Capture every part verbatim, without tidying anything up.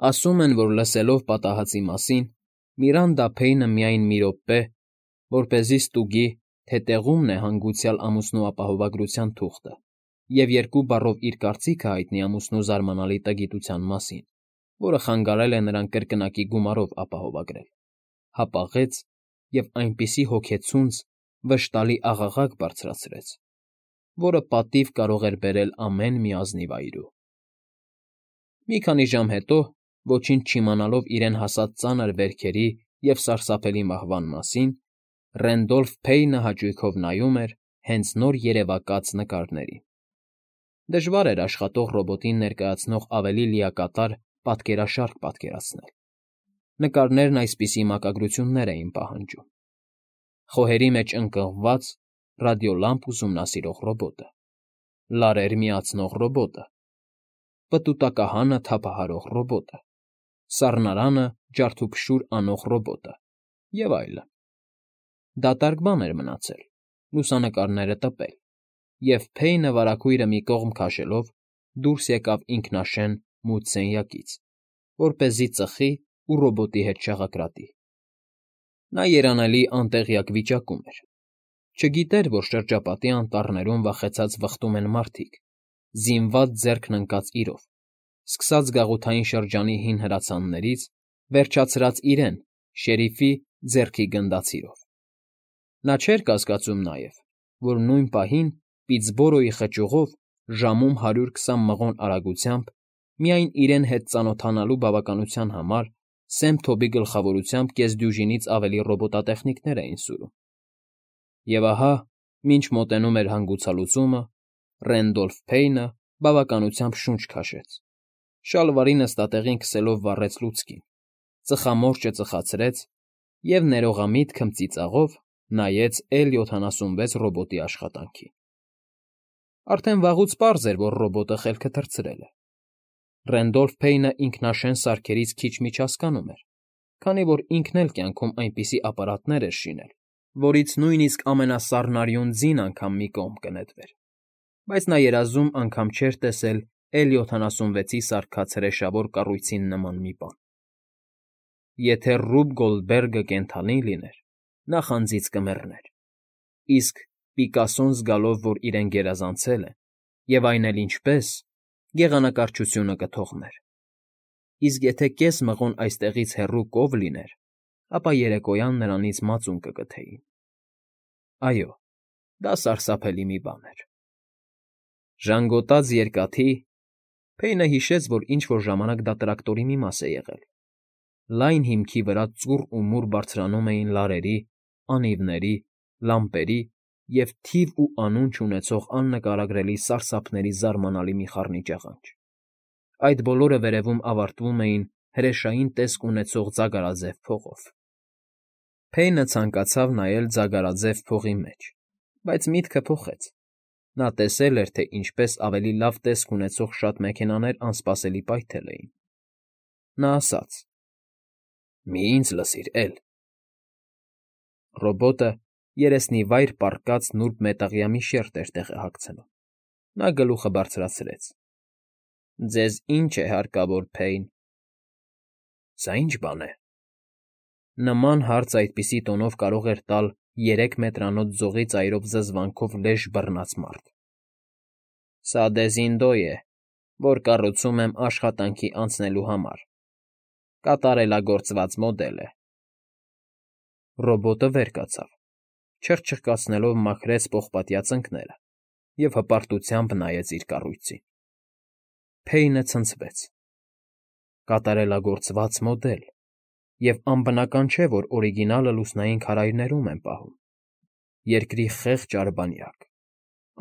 Ասում են, որ լսելով պատահածի մասին, Միրանդա Փեյնը միայն մի րոպե, որպեսզի ստուգի, թե տեղումն է հանգուցյալ ամուսնու ապահովագրության թուղթը, և երկու բառով իր կարծիքը հայտնի ամուսնու զարմանալի տգիտության մասին, որը խանգարել է նրան կրկնակի գումարով ապահովագրել, հապաղեց և այնպիսի հոգեցունց, վշտալի աղաղակ բարձրացրեց, որը պատիվ կարող էր բերել ամեն մի ազնիվ այրու։ Մի քանի ժամ հետո, ոչինչ չիմանալով իրեն հասած ծանր վերքերի և սարսափելի մահվան մասին, Ռենդոլֆ Փեյնը հաճույքով նայում էր հենց նոր երևակած նկարներին։ Դժվար էր աշխատող ռոբոտին ներկայացնող ավելի լիակատար պատկերաշարք պատկերացնել։ Նկարներն այսպիսի մակագրություններ էին պահանջում. խոհերի մեջ ընկղմված ռադիոլամպ ուսումնասիրող ռոբոտը, լարեր միացնող ռոբոտը, պտուտակահանը թափահարող ռոբոտը, սառնարանը ջարդուփշուր անող ռոբոտը և այլն։ Դատարկ բան էր մնացել՝ լուսանկարները տպել, և Փեյնը վարագույրը մի կողմ քաշելով դուրս եկավ ինքնաշեն մութ սենյակից, որպեսզի ծխի ու ռոբոտի հետ չաղակրատի։ Նա երանելի անտեղյակ վիճակում էր։ Չգիտեր, որ շրջապատի անտառներում վախեցած վխտում են մարդիկ, զինված ձեռքն ընկած իրով, սկսած գաղութային շրջանի հին հրացաններից, վերջացրած իրեն՝ շերիֆի ձեռքի գնդացիրով։ Նա չէր կասկածում նաև, որ նույն պահին Պիտսբորոյի խճուղով ժամում հարյուր քսան մղոն արագությամբ միայն իրեն հետ ծանոթանալու բավականության համար Սեմփթոբի գլխավորությամբ կեսդյուժինից ավելի ռոբոտատեխնիկներ էին սուրում։ Եվ ահա, մինչ մոտենում էր հանգուցալուծումը, Ռենդոլֆ Փեյնը բավականությամբ շունչ քաշեց, շալվարի նստատեղին քսելով վառեց լուցկին, ծխամորճը ծխացրեց և ներողամիտ քմծիծաղով նայեց Էլ յոթանասունվեց ռոբոտի աշխատանքին։ Արդեն վաղուց պարզ էր, որ ռոբոտը խելքը թռցրել է։ Ռենդոլֆ Փեյնը ինքնաշեն սարքերից քիչ-միչ հասկանում էր, քանի որ ինքն էլ կյանքում այնպիսի ապարատներ էր շինել, որից նույնիսկ ամենասառնարյուն ձին անգամ մի կողմ կնետվեր, բայց նա երազում անգամ չէր տեսել Էլ յոթանասունվեցի սարքած հրեշավոր կառույցին նման մի բան։ Եթե Ռուբ Գոլդբերգը կենդանի լիներ, նա խանձից կմեռներ, իսկ Պիկասոն զգալով, որ իրեն գերազանցել են, և այն էլ ինչպես, գեղանկարչությունը կթողներ, իսկ եթե կես մղոն այստեղից հեռու կով լիներ, ապա երեկոյան նրանից մածուն կկթեին։ Այո, դա սարսափելի մի բան էր։ Ժանգոտած երկաթի Փեյնը հիշեց, որ ինչ֊որ ժամանակ դա տրակտորի մի մաս է եղել։ Լայն հիմքի վրա ծուռ ու մուռ բարձրանում էին լարերի, անիվների, լամպերի և թիվ ու անուն չունեցող աննկարագրելի սարսափների զարմանալի մի խառնիճաղանջ։ Այդ բոլորը վերևում ավարտվում էին հրեշային տեսք ունեցող ձագարաձև փողով։ Փեյնը ցանկացավ նայել ձագարաձև փողի մեջ, բայց միտքը փոխեց։ Նա տեսել էր, թե ինչպես ավելի լավ տեսք ունեցող շատ մեքենաներ անսպասելի պայթել էին։ Նա ասաց. «Մի՛ ինձ լսիր, Էլ»։ Ռոբոտը երեսնիվայր պառկած նուրբ մետաղյա մի շերտ էր տեղահագցնում։ Նա գլուխը բարձրացրեց. «Ձեզ ի՞նչ է հարկավոր, Փեյն»։ «Սա ի՞նչ բան է»։ Նման հարց այդպիսի տոնով կարող էր տալ երեք մետրանոց ձողի ծայրով զզվանքով լեժ բռնած մարդ։ «Սա Դեզինդո է, որ կառուցում եմ աշխատանքի անցնելու համար, կատարելագործված մոդել է»։ Ռոբոտը վեր կացավ, չխչխկացնելով մաքրեց պողպատյա ծնկները և հպարտությամբ նայեց իր կառույցին։ Փեյնը ցնցվեց։ Կատարելագործված մոդել, և անբնական չէ, որ օրիգինալը լուսնային քարայրներում են պահում։ Երկրի խեղճ արբանյակ,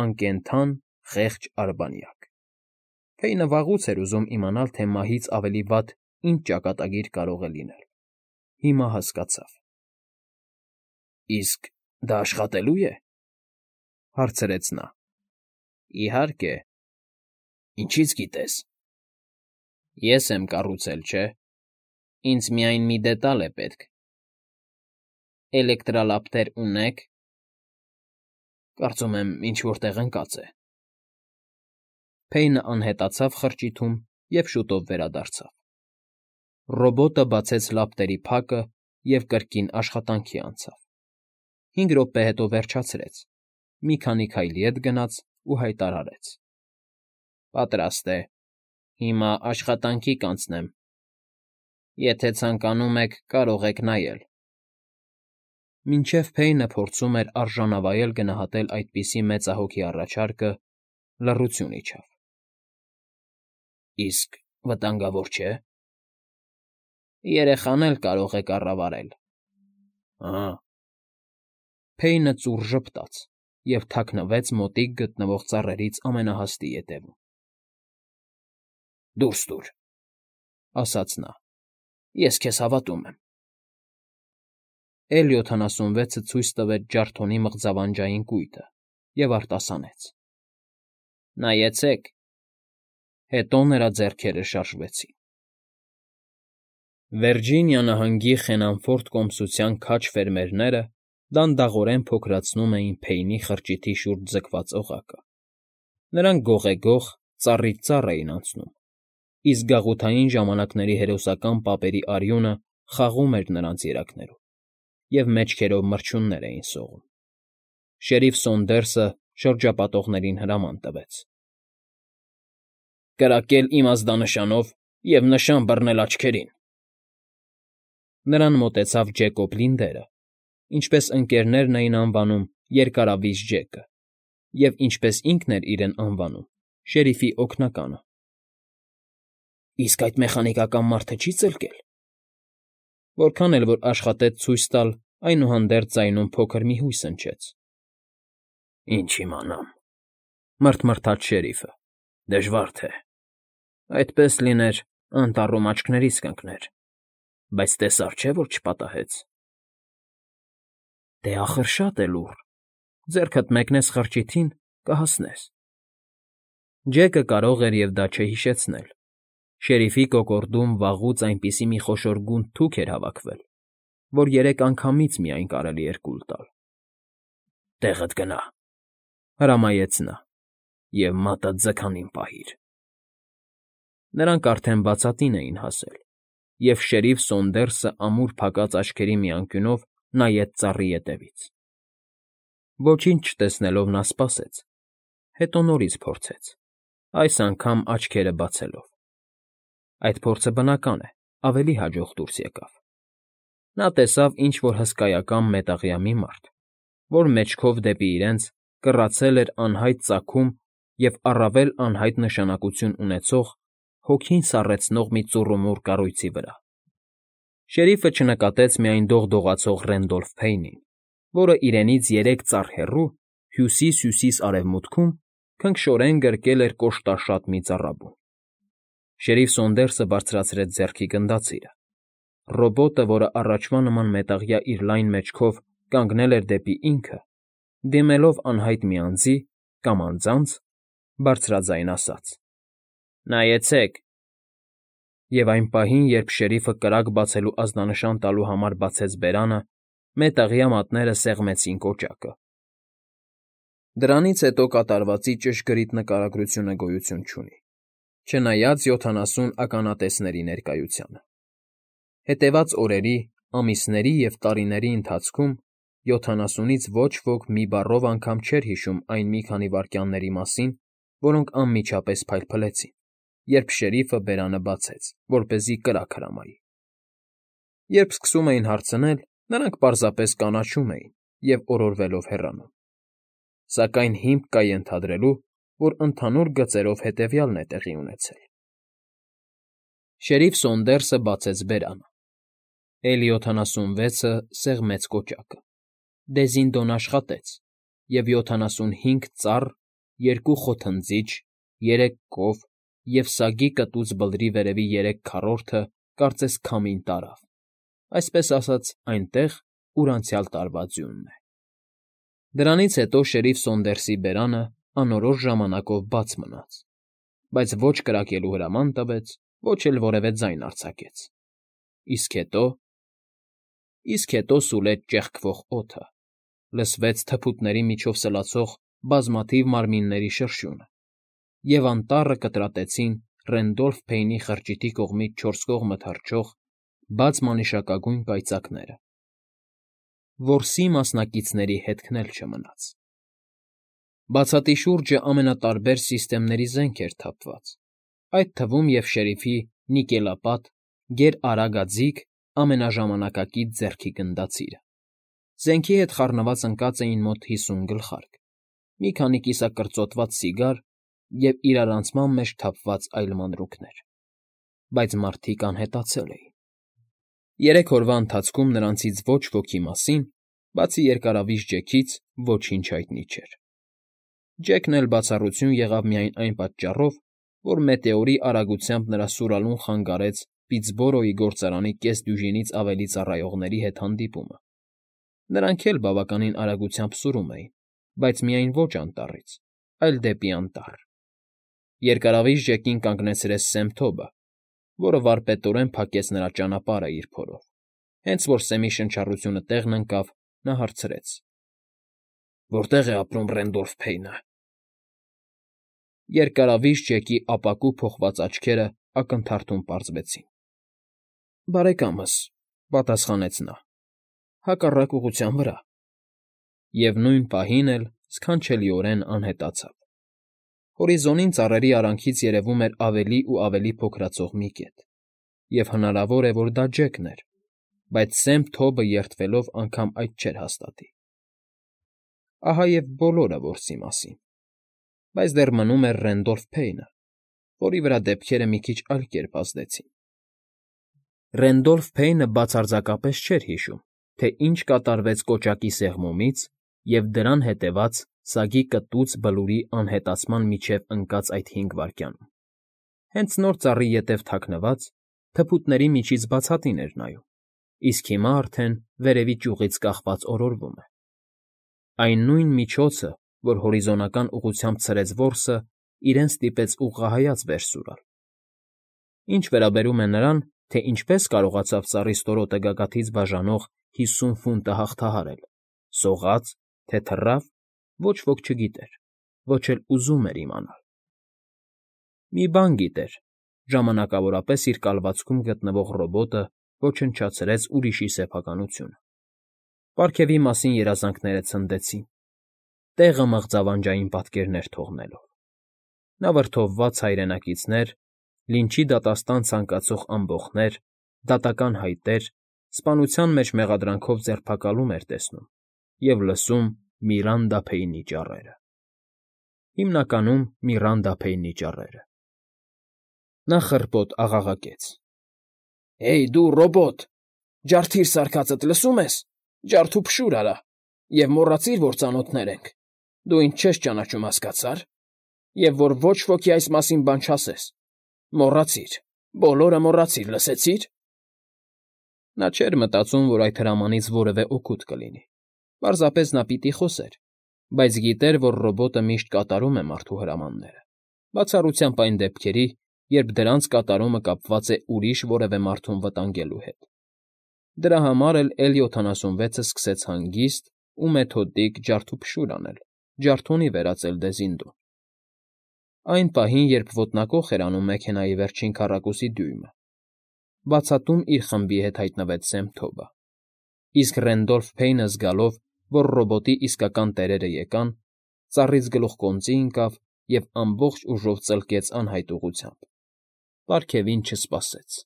անկենդան խեղճ արբանյակ։ Փեյնը վաղուց էր ուզում իմանալ, թե մահից ավելի վատ ինչ ճակատագիր կարող է լինել։ Հիմա հասկացավ։ «Իսկ դա աշխատելո՞ւ է»։ հարցրեց նա։ «Իհարկե»։ «Ինչից գիտես»։ «Ես եմ կառուցել, չէ՞։ Ինձ միայն մի դետալ է պետք»։ «Էլեկտրալապտեր ունե՞ք»։ «Կարծում եմ ինչ֊որ տեղ ընկած է»։ Փեյնը անհետացավ խրճիթում և շուտով վերադարձավ։ Ռոբոտը բացեց լապտերի փակը և կրկին աշխատանքի անցավ. հինգ րոպե հետո վերջացրեց, մի քանի քայլ ետ գնաց ու հայտարարեց. Պատրաստ է, հիմա աշխատանքի կանցնեմ, եթե ցանկանում եք, կարող եք նայել։ Մինչև Փեյնը փորձում էր արժանավայել գնահատել այդպիսի մեծահոգի առաջարկը, լռություն իջավ։ Իսկ վտանգավոր չէ՞։ Երեխան էլ կարող է կառավարել։ Ահա։ Փեյնը ծուռ ժպտաց և թաքնվեց մոտիկ գտնվող ծառերից ամենահաստի ետևում։ Դուրս տուր, ասաց նա, ես քեզ հավատում եմ։ Էլ յոթանասունվեցը ցույց տվեց ջարդոնի մղձավանջային կույտը և արտասանեց. Նայեցեք։ Հետո նրա ձեռքերը շարժվեցին։ Վիրջինիա նահանգի Խենանֆորդ կոմսության քաջ ֆերմերները դանդաղորեն փոքրացնում էին Փեյնի խրճիթի շուրջ ձգված օղակը։ Նրանք գողեգող, ծառից ծառ էին անցնում, իսկ գաղութային ժամանակների հերոսական պապերի արյունը խաղում էր նրանց երակներում, և մեջքերով մրջյուններ էին սողում։ Շերիֆ Սոնդերսը շրջապատողներին հրաման տվեց. Կրակել իմ ազդանշանով և նշան բռնել աչքերին։ Նրան մոտեցավ Ջեկոբ Լինդերը, ինչպես ընկերներն էին անվանում Երկարավիզ Ջեկը, և ինչպես ինքն էր իրեն անվանում, շերիֆի օգնականը։ Իսկ այդ մեխանիկական մարդը չի՞ ծլկել։ Որքան էլ որ աշխատեց ցույց տալ, այնուհանդերձ ձայնում փոքր մի հույս հնչեց։ Ինչ իմանամ, մռթմռթաց շերիֆը, դժվար թե։ Այդպես լիներ, անտառում աչքներիս կընկներ, բայց տեսար չէ, որ չպատահեց։ Դե ախր շատ է լուռ, ձեռքդ մեկնես խրճիթին, կհասնես։ Ջեկը կարող էր և դա չհիշեցնել։ Շերիֆի կոկորդում վաղուց այնպիսի մի խոշոր գունդ թուք էր հավաքվել, որ երեք անգամից միայն կարելի էր կուլ տալ։ Տեղդ գնա, հրամայեց նա, և մատդ ձգանին պահիր։ Նրանք արդեն բացատին էին հասել, և շերիֆ Սոնդերսը ամուր փակած աչքերի մի անկյունով նայեց ծառի ետևից։ Ոչինչ չտեսնելով նա սպասեց, հետո նորից փորձեց, այս անգամ աչքերը բացելով։ Այդ փորձը բնական է, ավելի հաջող դուրս եկավ։ Նա տեսավ ինչ֊որ հսկայական մետաղյա մի մարդ, որ մեջքով դեպի իրենց կռացել էր անհայտ ծագում և առավել անհայտ նշանակություն ունեցող, հոգին սառեցնող մի ծուռումուռ կառույցի վրա։ Շերիֆը չնկատեց միայն դողդողացող Ռենդոլֆ Փեյնին, որը իրենից երեք ծառ հեռու, հյուսիս֊հյուսիս֊արևմուտքում քնքշորեն գրկել էր կոշտաշատ մի ծառաբուն։ Շերիֆ Սոնդերսը բարձրացրեց ձեռքի գնդացիրը։ Ռոբոտը, որը առաջվա նման մետաղյա իր լայն մեջքով կանգնել էր դեպի ինքը, դիմելով անհայտ մի անձի կամ անձանց, բարձրաձայն ասաց. Նայեցեք։ Եվ այն պահին, երբ շերիֆը կրակ բացելու ազդանշան տալու համար բացեց բերանը, մետաղյա մատները սեղմեցին կոճակը։ Դրանից հետո կատարվածի ճշգրիտ նկարագրությունը գոյություն չունի, չնայած յոթանասուն ականատեսների ներկայությանը։ Հետևած օրերի, ամիսների և տարիների ընթացքում յոթանասունից ոչ ոք մի բառով անգամ չէր հիշում այն մի քանի վայրկյանների մասին, որոնք անմիջապես փայլփլեցին, երբ շերիֆը բերանը բացեց, որպեսզի կրակ հրամայի։ Երբ սկսում էին հարցնել, նրանք պարզապես կանաչում էին և օրորվելով հեռանում։ Սակայն հիմք կա ենթադրելու, որ ընդհանուր գծերով հետևյալն է տեղի ունեցել. Շերիֆ Սոնդերսը բացեց բերանը։ Էլ յոթանասունվեցը սեղմեց կոճակը։ Դեզինդոն աշխատեց, և յոթանասունհինգ ծառ, երկու խոթնձիչ, երեք կով և սագի կտուց բլրի վերևի երեք քառորդը կարծես քամին տարավ, այսպես ասած, այնտեղ, ուր անցյալ տարվա ձյունն է։ Դրանից հետո շերիֆ Սոնդերսի բերանը անորոշ ժամանակով բաց մնաց, բայց ոչ կրակելու հրաման տվեց, ոչ էլ որևէ ձայն արձակեց։ Իսկ հետո… Իսկ հետո սուլեց ճեղքվող օդը, լսվեց թփուտների միջով սլացող բազմաթիվ մարմինների շրշյունը, և անտառը կտրատեցին Ռենդոլֆ Փեյնի խրճիթի կողմից չորս կողմը թռչող բաց մանիշակագույն կայծակները։ Որսի մասնակիցների հետքն էլ չմնաց։ Բացատի շուրջը ամենատարբեր սիստեմների զենք էր թափված, այդ թվում և շերիֆի նիկելապատ, գերարագաձիգ, ամենաժամանակակից ձեռքի գնդացիրը։ Զենքի հետ խառնված ընկած էին մոտ հիսուն գլխարկ, մի քանի կիսակրծոտված սիգար և իրարանցման մեջ թափված այլ մանրուքներ, բայց մարդիկ անհետացել էին։ Երեք օրվա ընթացքում նրանցից ոչ ոքի մասին, բացի երկարավիժ Ջեքից, ոչինչ հայտնի չէր։ Ջեքն էլ բացառություն եղավ միայն այն պատճառով, որ մետեորի արագությամբ նրա սուրալուն խանգարեց Պիտսբորոյի գործարանի կեսդյուժինից ավելի ծառայողների հետ հանդիպումը։ Նրանք էլ բավականին արագությամբ սուրում էին, բայց միայն ոչ անտառից, այլ դեպի անտառ։ Երկարավիժ Ջեկին կանգնեցրեց Սեմ Թոբը, որը վարպետորեն փակեց նրա ճանապարհը իր փորով։ Հենց որ Սեմի շնչառությունը տեղն ընկավ, նա հարցրեց. Որտե՞ղ է ապրում Ռենդոլֆ Փեյնը։ Երկարավիժ Ջեկի ապակու փոխված աչքերը ակնթարթում պարզվեցին։ Բարեկամս,֊ պատասխանեց նա,֊ հակառակ ուղղության վրա։ Եվ նույն պահին էլ սքանչելիորեն անհետացավ։ Հորիզոնին ծառերի արանքից երևում էր ավելի ու ավելի փոքրացող մի կետ, և հնարավոր է, որ դա Ջեկն էր, բայց Սեմ Թոբը երդվելով անգամ այդ չէր հաստատի։ Ահա և բոլորը որսի մասին, բայց դեռ մնում էր Ռենդոլֆ Փեյնը, որի վրա դեպքերը մի քիչ այլ կերպ ազդեցին։ Ռենդոլֆ Փեյնը բացարձակապես չէր հիշում, թե ինչ կատարվեց կոճակի սեղմումից և դրան հետևած սագի կտուց Բլուրի անհետացման միջև ընկած այդ հինգ վայրկյանում։ Հենց նոր ծառի ետև թաքնված, թփուտների միջից բացատին էր նայում, իսկ հիմա արդեն վերևի ճյուղից կախված օրորվում է։ Այն նույն միջոցը, որ հորիզոնական ուղղությամբ ցրեց որսը, իրեն ստիպեց ուղղահայաց վեր սուրալ։ Ինչ վերաբերում է նրան, թե ինչպես կարողացավ ծառի ստորոտը գագաթից բաժանող հիսուն ֆունտը հաղթահարել, սողա՞ց, թե թռավ, ոչ ոք չգիտեր, ոչ էլ ուզում էր իմանալ։ Մի բան գիտեր. ժամանակավորապես իր կալվածքում գտնվող ռոբոտը ոչնչացրեց ուրիշի սեփականությունը։ Պարգևի մասին երազանքները ցնդեցին, տեղը մղձավանջային պատկերներ թողնելով։ Նա վրդովված հայրենակիցներ, լինչի դատաստան ցանկացող ամբոխներ, դատական հայտեր, սպանության մեջ մեղադրանքով ձերբակալում էր տեսնում և լսում Միրանդա Փեյնի ճառերը։ Հիմնականում Միրանդա Փեյնի ճառերը։ Նա խռպոտ աղաղակեց. Հեյ, դու ռոբոտ, ջարդիր սարքածդ, լսո՞ւմ ես, ջարդ ու փշուր արա, և մոռացիր, որ ծանոթներ ենք, դու ինձ չես ճանաչում, հասկացա՞ր, և որ ոչ ոքի այս մասին բան չասես, մոռացիր, բոլորը մոռացիր, լսեցի՞ր։ Նա չէր մտածում, որ այդ հրամանից որևէ օգուտ կլինի, պարզապես նա պիտի խոսեր, բայց գիտեր, որ ռոբոտը միշտ կատարում է մարդու հրամանները, բացառությամբ այն դեպքերի, երբ դրանց կատարումը կապված է ուրիշ որևէ մարդուն վտանգելու հետ։ Դրա համար էլ Էլ յոթանասունվեցը սկսեց հանգիստ ու մեթոդիկ ջարդուփշուր անել, ջարդոնի վերածել Դեզինդուն։ Այն պահին, երբ ոտնակոխ էր անում մեքենայի վերջին քառակուսի դյույմը, բացատում իր խմբի հետ հայտնվեց Սեմ Թոբը, իսկ Ռենդոլֆ Փեյնը զգալով, որ ռոբոտի իսկական տերերը եկան, ծառից գլուխկոնծի ընկավ և ամբողջ ուժով ծլկեց անհայտ ուղղությամբ։ Պարգևին չսպասեց։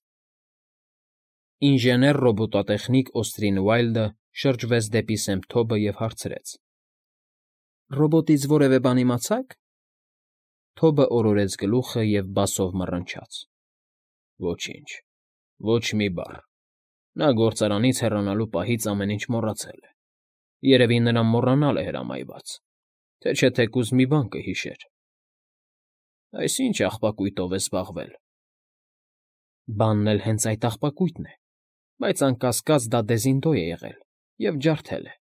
Ինժեներ֊ռոբոտատեխնիկ Օստրին Ուայլդը շրջվեց դեպի Սեմ Թոբը և հարցրեց. Ռոբոտից որևէ բան իմացա՞ք։ Թոբը օրորեց գլուխը և բասով մռնչաց. Ոչինչ, ոչ մի բառ։ Նա գործարանից հեռանալու պահից ամեն ինչ մոռացել է։ Երևի նրան մոռանալ է հրամայված, թե չէ թեկուզ մի բան կհիշեր։ Այս ի՞նչ աղբակույտով է զբաղվել։ Բանն էլ հենց այդ աղբակույտն է, բայց անկասկած դա Դեզինդո է եղել և ջարդել է։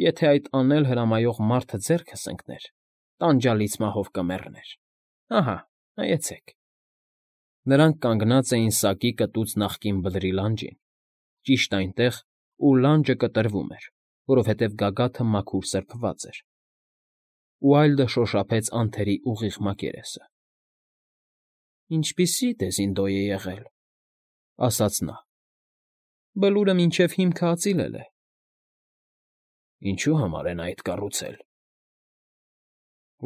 Եթե այդ անել հրամայող մարդը ձեռքս ընկներ, տանջալից մահով կմեռներ։ Ահա, նայեցեք։ Նրանք կանգնած էին սակի կտուց նախկին Բլրի լանջին, ճիշտ այնտեղ, ուր լանջը կտրվում էր, որովհետև գագաթը մաքուր սրբված էր։ Ուայլդը շոշափեց անթերի ուղիղ մակերեսը։ Ինչպիսի Դեզինդո է եղել,֊ ասաց նա։֊ Բլուրը մինչև հիմքը ածիլել է։ Ինչու՞ համար են այդ կառուցել։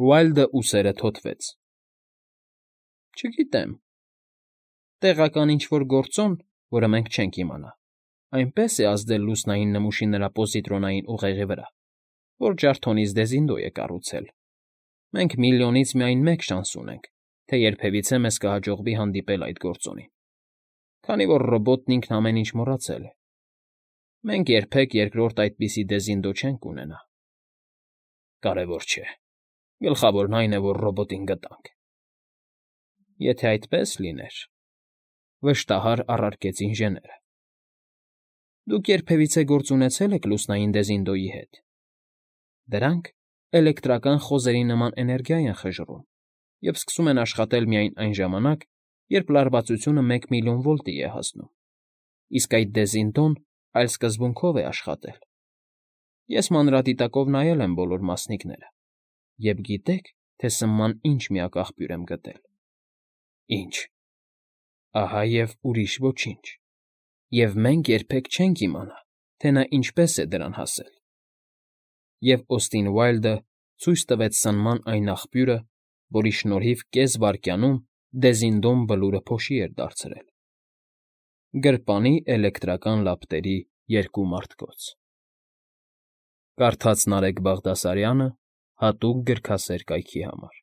Վայլդը ուսերը թոթվեց։ Չգիտեմ։ Տեղական ինչ֊որ գործոն, որը մենք չենք իմանա, այնպես է ազդել լուսնային նմուշի նրա պոզիտրոնային ուղեղի վրա, որ ջարդոնից Դեզինդո է կառուցել։ Մենք միլիոնից միայն մեկ շանս ունենք, թե երբևիցե մեզ կհաջողվի հանդիպել այդ գործոնին, քանի որ ռոբոտն ինքն ամեն ինչ մոռացել է։ Մենք երբեք երկրորդ այդպիսի Դեզինդո չենք ունենա։ Կարևոր չէ։ Գլխավորն այն է, որ ռոբոտին գտանք։ Եթե այդպես լիներ,֊ վշտահար առարկեց ինժեները,֊ դուք երբևիցե գործ ունեցե՞լ եք լուսնային Դեզինդոյի հետ։ Դրանք էլեկտրական խոզերի նման էներգիա են խժռում և սկսում են աշխատել միայն այն ժամանակ, երբ լարվածությունը մեկ միլիոն վոլտի է հասնում, իսկ այդ Դեզինդոն այլ սկզբունքով է աշխատել։ Ես մանրադիտակով նայել եմ բոլոր մասնիկները և գիտե՞ք, թե սնման ինչ միակ աղբյուր եմ գտել։ Ինչ։ Ահա և ուրիշ ոչինչ։ Եվ մենք երբեք չենք իմանա, թե նա ինչպես է դրան հասել։ Եվ Օստին Վայլդը ցույց տվեց սնման այն աղբյուրը, որի շնորհիվ կես վայրկյանում Դեզինդոն Բլուրը փոշի էր դարձրել. գրպանի էլեկտրական լապտերի երկու մարտկոց։ Կարդաց Նարեկ Բաղդասարյանը հատուկ գրքասեր կայքի համար։